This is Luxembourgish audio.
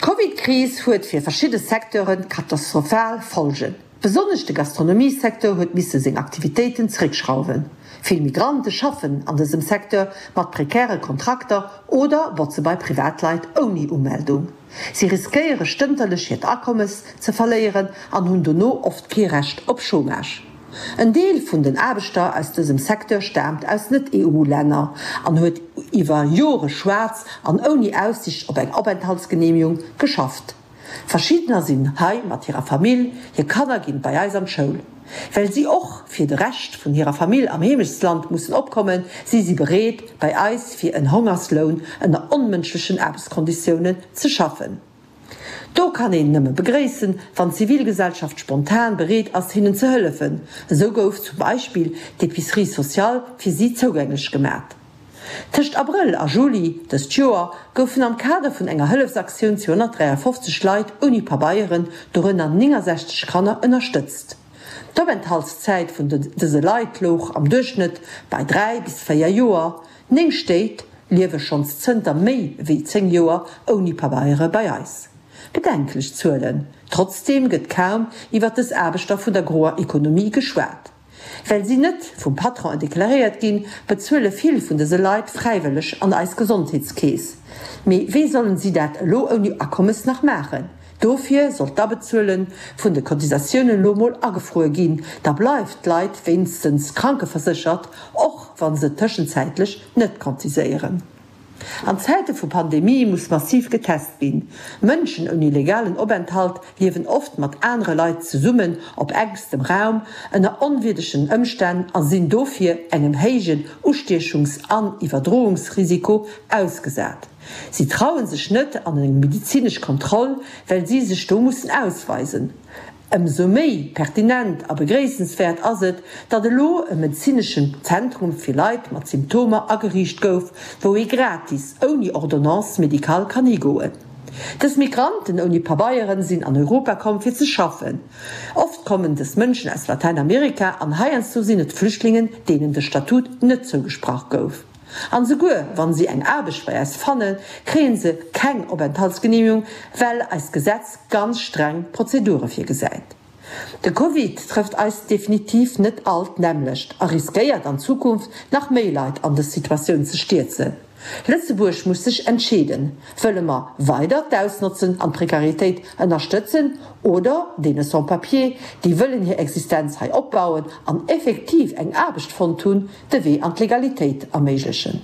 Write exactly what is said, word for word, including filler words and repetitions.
D'Covid-Kris huet fir verschidde Secteure katastrophal Folgen. Besonnesch de Gastronomiesecteur huet misse seng Aktivitéiten zeréckschrauwen. Vill Migrante schaffen an dësem Secteur mat prekäre Kontrakter oder botze bei Privatleit ouni Umeldung. Si riskéiere stënterlech hiert Akommes ze verléieren an hunn dono oft kee Recht op Chômage. En Deel vun den Aarbechter aus dësem Secteur staamt aus Net-EU-Länner an huet iwwer Jore schwaarz an ouni Aussiicht op eng Openthaltsgeneemegung geschafft. Verschiddener sinn hei mat hirer Famill, hir Kanner ginn bei eis an d'Schoul. Well si och fir de Rescht vun hirer Famill am Heemechtsland mussen opkommen, si si bereet, bei eis fir en Hongersloun ënner onmënschlechen Aarbechtskonditiounen ze schaffen. Do kann een nëmme begréissen, wann d'Zivilgesellschaft spontan bereet ass, hinnen ze hëllefen. Esou gouf zum Beispill d'Epicerie sociale fir si zougänglech gemat. Tëscht Abrëll a Juli dëst Joer goufen am Kader vun enger Hëllefsaktioun zweehonnertdräiafofzeg Leit ouni Pabeieren, dorënner néngensechzeg Kanner, ënnerstëtzt. D'Openthaltszäit vun dëse Leit louch am Duerchschnëtt bei dräi bis véier Joer. Néng Stéit liewe schonns zënter méi wéi zéng Joer ouni Pabeiere bei eis. Bedenklech Zuelen. Trotzdeem gëtt kaum iwwer dës Aarbechter vun der groer Ekonomie geschwat. Well si net vum Patron deklaréiert ginn, bezuele vill vun dëse Leit fräiwëlleg an eis Gesondheetskeess. Mee wéi sollen si dat elo ouni Akommes nach maachen? Dofir soll d'Abezuele vun de Cotisatiounen elo mol agefruer ginn, da bleift d'Leit wéinstens krankeverséchert, och wa se tëschenzäitlech net cotiséieren. An Zäite vu Pandemie muss massiv getest ginn. Mënschen ouni legalen Openthalt liewen oft mat anere Leit zesummen op enkstem Raum, ënner onwierdegen Ëmstänn a sinn dofir engem héijen Ustiechungs an Iwwerdroungsrisiko ausgesat. Si trauen sech net an eng medizinesch Kontroll, well si sech do mussen ausweisen. Ëmsou méi pertinent a begréissenswäert ass et, datt elo e medezineschen Zentrum fir Leit mat Symptomer ageriicht gouf, wou ee gratis, ouni Ordonnance médicale kann higoen. Dës Migranten ouni Pabeieren sinn an Europa komm fir ze schaffen. Oft kommen dës Mënschen aus Latäinamerika an heiansdo sinn et Flüchtlingen, deenen de Statut net zougesprach gouf. An souguer wann si eng Aarbecht bei eis fannen, kréien se keng Openthaltsgeneemegung, well eist Gesetz ganz streng Prozedure virgesäit. De Covid trëfft eis definitiv net all d'nämmlecht a riskéiert an Zukunft nach méi Leit an dës Situatioun ze stierzen. Lëtzebuerg muss sech entscheeden, Wëlle mer weider d'Ausnotzen an d'Prekaritéit ënnerstëtzen oder deene Sans-papiers, déi wëllen hir Existenz hei opbauen an effektiv eng Aarbecht fonnt hunn, de Wee an d'Legalitéit erméiglechen?